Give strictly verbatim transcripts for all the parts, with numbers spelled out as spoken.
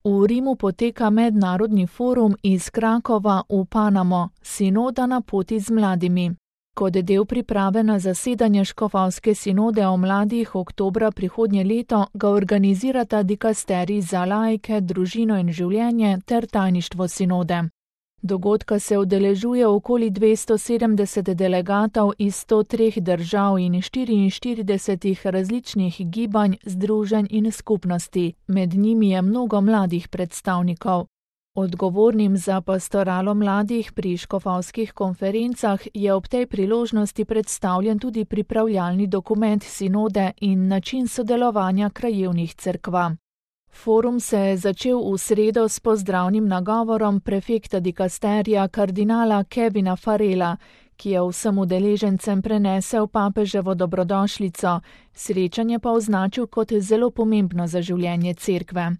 V Rimu poteka mednarodni forum iz Krakova v Panamo, Sinoda na poti z mladimi. Kot del priprave na zasedanje škofovske sinode o mladih oktobra prihodnje leto ga organizirata dikasterij za laike, družino in življenje ter tajništvo sinode. Dogodka se udeležuje okoli dvesto sedemdeset delegatov iz sto treh držav in štiriinštiridesetih različnih gibanj, združenj in skupnosti, med njimi je mnogo mladih predstavnikov. Odgovornim za pastoralo mladih pri škofovskih konferencah je ob tej priložnosti predstavljen tudi pripravljalni dokument sinode in način sodelovanja krajevnih cerkva. Forum se je začel v sredo s pozdravnim nagovorom prefekta dikasterija kardinala Kevina Farrella, ki je vsem udeležencem prenesel papeževo dobrodošlico, srečanje pa označil kot zelo pomembno za življenje cerkve.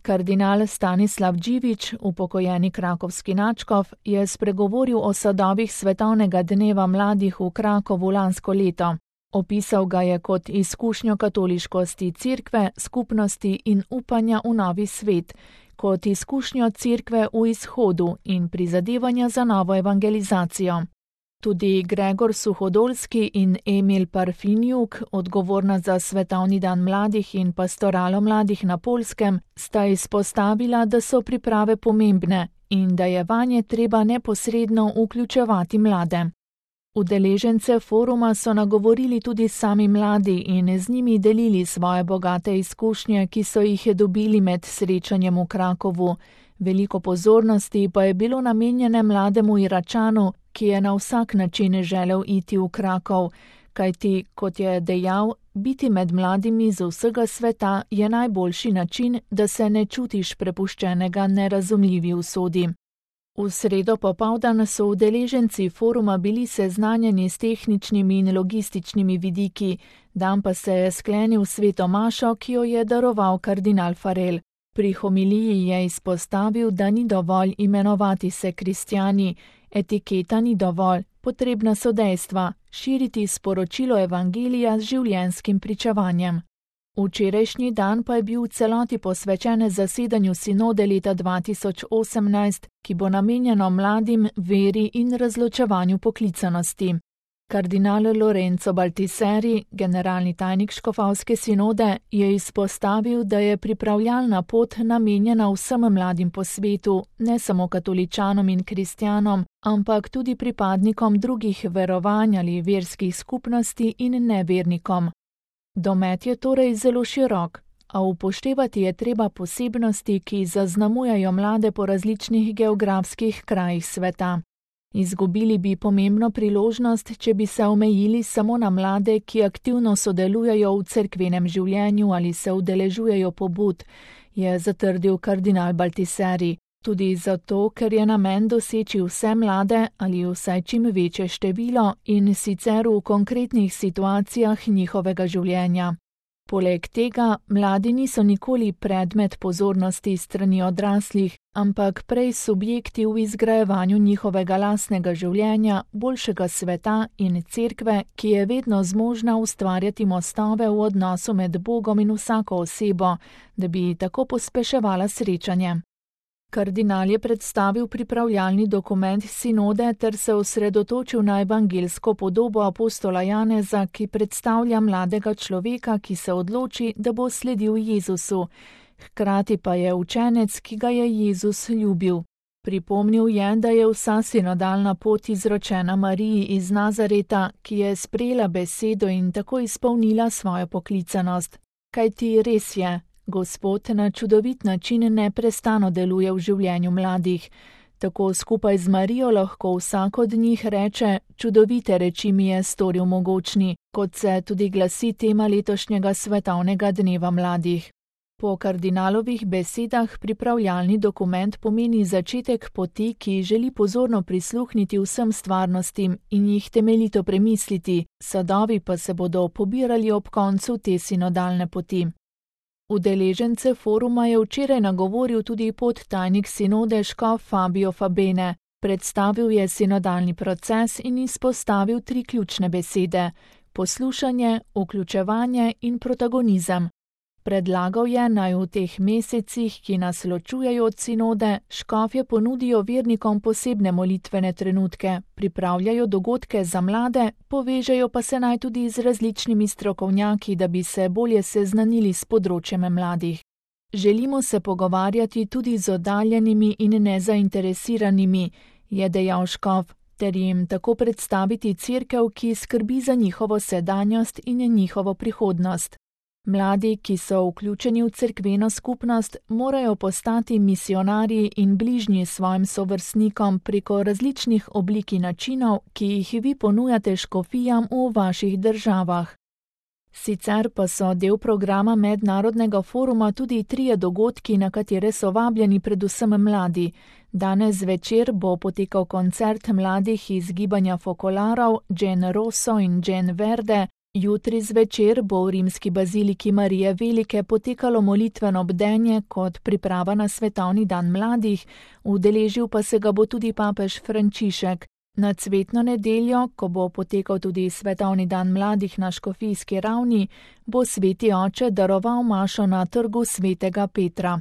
Kardinal Stanislav Dživič, upokojeni krakovski nadškof, je spregovoril o sadovih svetovnega dneva mladih v Krakovu lansko leto. Opisal ga je kot izkušnjo katoliškosti cerkve, skupnosti in upanja v novi svet, kot izkušnjo cerkve v izhodu in prizadevanja za novo evangelizacijo. Tudi Gregor Suhodolski in Emil Parfinjuk, odgovorna za Svetovni dan mladih in pastoralo mladih na Poljskem, sta izpostavila, da so priprave pomembne in da je vanje treba neposredno vključevati mlade. Udeležence foruma so nagovorili tudi sami mladi in z njimi delili svoje bogate izkušnje, ki so jih dobili med srečanjem v Krakovu. Veliko pozornosti pa je bilo namenjene mlademu Iračanu, ki je na vsak način želel iti v Krakov, kajti, kot je dejal, biti med mladimi z vsega sveta je najboljši način, da se ne čutiš prepuščenega nerazumljivi usodi. V sredo popoldan so udeleženci foruma bili seznanjeni s tehničnimi in logističnimi vidiki, dan pa se je sklenil sveto mašo, ki jo je daroval kardinal Farrell. Pri homiliji je izpostavil, da ni dovolj imenovati se kristjani, etiketa ni dovolj, potrebna so dejstva, širiti sporočilo evangelija z življenjskim pričevanjem. Včerajšnji dan pa je bil v celoti posvečen zasedanju sinode leta dva tisoč osemnajst, ki bo namenjeno mladim, veri in razločevanju poklicanosti. Kardinal Lorenzo Baltiseri, generalni tajnik škofovske sinode, je izpostavil, da je pripravljalna pot namenjena vsem mladim po svetu, ne samo katoličanom in kristjanom, ampak tudi pripadnikom drugih verovanj ali verskih skupnosti in nevernikom. Domet je torej zelo širok, a upoštevati je treba posebnosti, ki zaznamujejo mlade po različnih geografskih krajih sveta. Izgubili bi pomembno priložnost, če bi se omejili samo na mlade, ki aktivno sodelujejo v cerkvenem življenju ali se udeležujejo pobud, je zatrdil kardinal Baltiseri. Tudi zato, ker je namen doseči vse mlade ali vsaj čim večje število in sicer v konkretnih situacijah njihovega življenja. Poleg tega, mladi niso nikoli predmet pozornosti strani odraslih, ampak prej subjekti v izgrajevanju njihovega lastnega življenja, boljšega sveta in cerkve, ki je vedno zmožna ustvarjati mostove v odnosu med Bogom in vsako osebo, da bi tako pospeševala srečanje. Kardinal je predstavil pripravljalni dokument sinode ter se osredotočil na evangelsko podobo apostola Janeza, ki predstavlja mladega človeka, ki se odloči, da bo sledil Jezusu. Hkrati pa je učenec, ki ga je Jezus ljubil. Pripomnil je, da je vsa sinodalna pot izročena Mariji iz Nazareta, ki je sprejela besedo in tako izpolnila svojo poklicanost. Kajti res je, Gospod na čudovit način neprestano deluje v življenju mladih. Tako skupaj z Marijo lahko vsak od njih reče: čudovite reči mi je storil mogočni, kot se tudi glasi tema letošnjega svetovnega dneva mladih. Po kardinalovih besedah pripravljalni dokument pomeni začetek poti, ki želi pozorno prisluhniti vsem stvarnostim in jih temeljito premisliti, sadovi pa se bodo pobirali ob koncu te sinodalne poti. Udeležence foruma je včeraj nagovoril tudi podtajnik sinode škof Fabio Fabene. Predstavil je sinodalni proces in izpostavil tri ključne besede: poslušanje, vključevanje in protagonizem. Predlagal je, naj v teh mesecih, ki nas ločujejo od sinode, škofje ponudijo vernikom posebne molitvene trenutke, pripravljajo dogodke za mlade, povežejo pa se naj tudi z različnimi strokovnjaki, da bi se bolje seznanili s področjem mladih. Želimo se pogovarjati tudi z oddaljenimi in nezainteresiranimi, je dejal škof, ter jim tako predstaviti cerkev, ki skrbi za njihovo sedanjost in njihovo prihodnost. Mladi, ki so vključeni v cerkveno skupnost, morajo postati misionarji in bližnji svojim sovrstnikom preko različnih oblik in načinov, ki jih vi ponujate škofijam v vaših državah. Sicer pa so del programa mednarodnega foruma tudi trije dogodki, na katere so vabljeni predvsem mladi. Danes zvečer bo potekal koncert mladih iz gibanja Fokolarov, Gen Rosso in Gen Verde. Jutri zvečer bo v rimski baziliki Marije Velike potekalo molitveno bdenje kot priprava na svetovni dan mladih, udeležil pa se ga bo tudi papež Frančišek. Na cvetno nedeljo, ko bo potekal tudi svetovni dan mladih na škofijski ravni, bo sveti oče daroval mašo na trgu svetega Petra.